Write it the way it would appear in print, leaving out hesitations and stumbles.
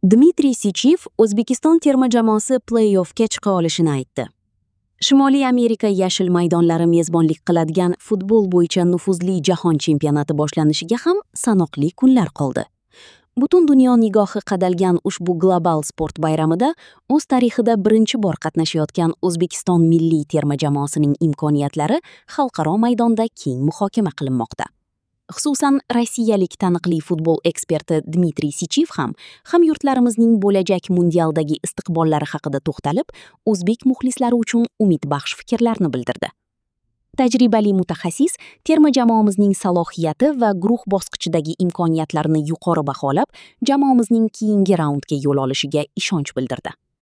Dmitriy Sichev O'zbekiston terma jamoasi play-offga chiqa olishini aytdi. Shimoliy Amerika yashil maydonlari mezbonlik qiladigan futbol bo'yicha nufuzli jahon chempionati boshlanishiga ham sanoqli kunlar qoldi. Butun dunyo nigohi qadalgan ushbu global sport bayramida o'z tarixida birinchi bor qatnashayotgan O'zbekiston milliy terma jamoasining imkoniyatlari xalqaro maydonda keng muhokama qilinmoqda. Xususan, rossiyalik taniqli futbol eksperti Dmitriy Sichev ham hamyurtlarimizning bo'lajak mundialdagi istiqbollari haqida to'xtalib, o'zbek muxlislari uchun umidbaxsh fikrlarni bildirdi. Tajribali mutaxassis terma jamoamizning salohiyati va guruh bosqichidagi imkoniyatlarini yuqori baholab, jamoamizning keyingi raundga yo'l olishiga ishonch bildirdi.